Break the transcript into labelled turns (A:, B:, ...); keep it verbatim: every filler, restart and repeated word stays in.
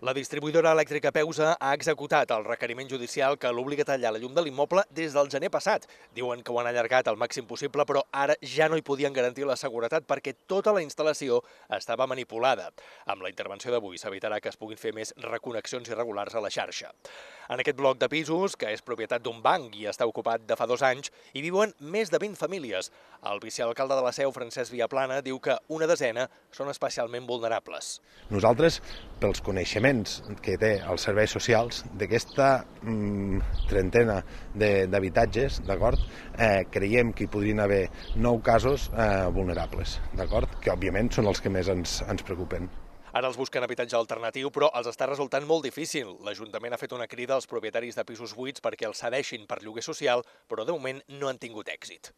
A: La distribuïdora elèctrica Peusa ha executat el requeriment judicial que l'obliga a tallar la llum de l'immoble des del gener passat. Diuen que ho han allargat al màxim possible, però ara ja no hi podien garantir la seguretat perquè tota la instal·lació estava manipulada. Amb la intervenció d'avui s'evitarà que es puguin fer més reconnexions irregulars a la xarxa. En aquest bloc de pisos, que és propietat d'un banc i està ocupat de fa dos anys, hi viuen més de vint famílies. El vicealcalde de la Seu, Francesc Viaplana, diu que una desena són especialment vulnerables.
B: Nosaltres, pels coneixements que té els serveis socials d'aquesta mm, trentena d'habitatges, d'acord, eh, creiem que hi podrien haver nou casos eh, vulnerables, d'acord, que òbviament són els que més ens, ens preocupen.
A: Ara els busquen habitatge alternatiu, però els està resultant molt difícil. L'Ajuntament ha fet una crida als propietaris de pisos buits perquè els cedeixin per lloguer social, però de moment no han tingut èxit.